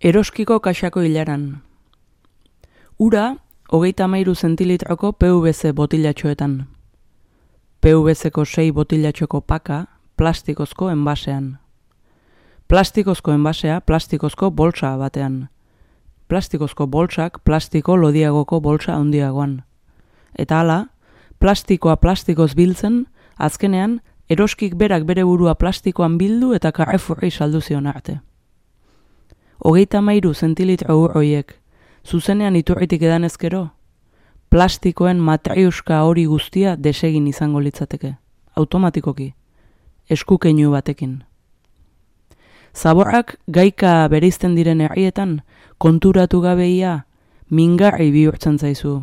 Eroskiko kaxako hilaran. Ura, 33 zentilitroko PVC botilatxoetan. PVC-ko 6 botilatxoko paka, plastikozko enbasean. Plastikozko enbasea, plastikozko bolsa batean. Plastikozko bolsak, plastiko lodiagoko bolsa handiagoan. Eta hala, plastikoa plastikoz biltzen, azkenean, eroskik berak bere burua plastikoan bildu eta Carrefourri saldu zion arte. 33 zentilitro horiek, zuzenean iturritik edan ezkero, plastikoen matriuska hori guztia desegin izango litzateke, automatikoki, eskukeinu batekin. Zaborrak gaika bereizten diren herrietan, konturatu gabeia, mingarri bihurtzen zaizu,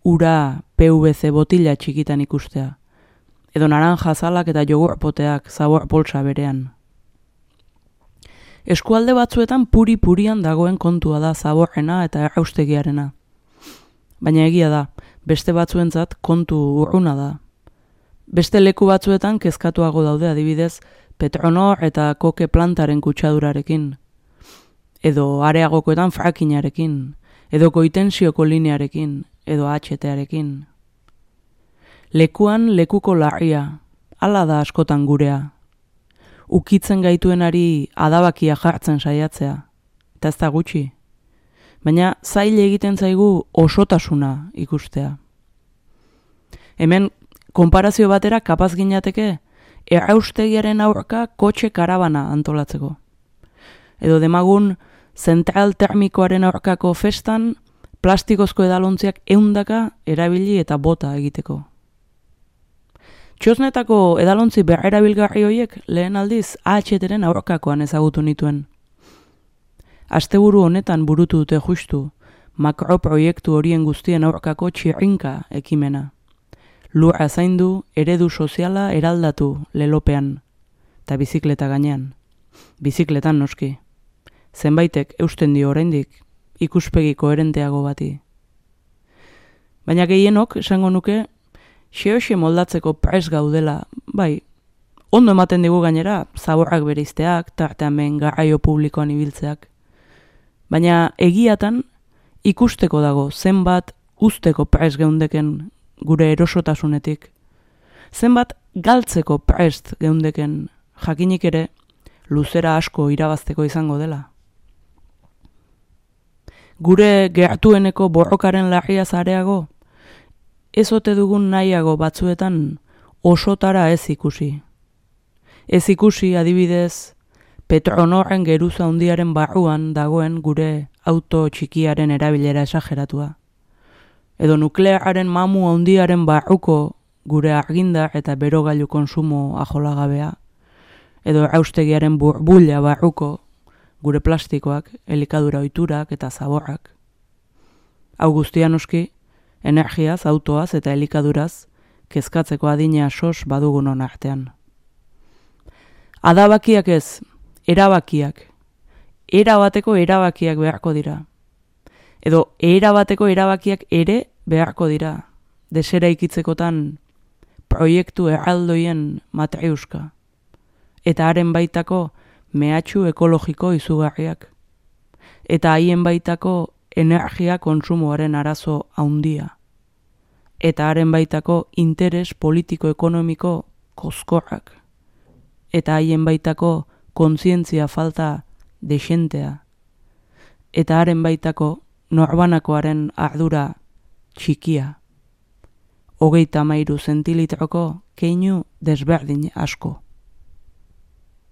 ura PVC botila txikitan ikustea, edo naranja zalak eta jogurpoteak zabor poltsa berean. Eskualde batzuetan puri-purian dagoen kontua da zaborrena eta erraustegiarena. Baina egia da, beste batzuentzat kontu urruna da. Beste leku batzuetan kezkatuago daude adibidez Petronor eta koke plantaren kutsadurarekin, edo areagokoetan frackinarekin, edo koitensioko linearekin, edo HT-arekin. Lekuan lekuko larria, hala da askotan gurea. Ukitzen gaituenari adabakia jartzen saiatzea, eta ez da gutxi. Baina zail egiten zaigu osotasuna ikustea. Hemen, konparazio batera kapaz ginateke, erraustegiaren aurka kotxe karabana antolatzeko. Edo demagun, zentral termikoaren aurkako festan, plastikozko edalontziak 100 erabili eta bota egiteko. Txosnetako edalontzi berrerabilgarri horiek lehen aldiz AHT-ren aurkakoan ezagutu nituen. Asteburu honetan burutu dute justu, makroproiektu horien guztien aurkako txirrinka ekimena. Lurra zaindu, eredu soziala eraldatu lelopean, eta bizikleta gainean. Bizikletan noski. Zenbaitek eusten dio oraindik, ikuspegi koherenteago bati. Baina gehienok, esango nuke, xe moldatzeko prest gaudela, bai, ondo ematen digu gainera, zaborrak bereizteak, tartean behin garraio publikoan ibiltzeak. Baina egiatan ikusteko dago zenbat usteko prest geundeken gure erosotasunetik. Zenbat galtzeko prest geundeken jakinik ere luzera asko irabazteko izango dela. Gure gertueneko borrokaren larria zareago, ez ote dugun nahiago batzuetan osotara ez ikusi. Ez ikusi adibidez Petronorren geruza handiaren barruan dagoen gure auto txikiaren erabilera esageratua. Edo nukleararen mamu handiaren barruko gure argindar eta berogailu konsumo ajolagabea. Edo erraustegiaren burbuila barruko gure plastikoak, elikadura ohiturak eta zaborrak. Hau guztia noski, energiaz, autoaz eta elikaduraz, kezkatzeko adina sos badugunon artean. Adabakiak ez, erabakiak. Erabateko erabakiak beharko dira. Edo erabateko erabakiak ere beharko dira. Desera ikitzekotan proiektu erraldoien matriuska. Eta haren baitako mehatxu ekologiko izugarriak. Eta haien baitako energia kontsumoaren arazo handia. Eta haren baitako interes politiko-ekonomiko koskorrak. Eta haien baitako kontzientzia falta desentea. Eta haren baitako norbanakoaren ardura txikia. 33 zentilitroko keinu desberdin asko.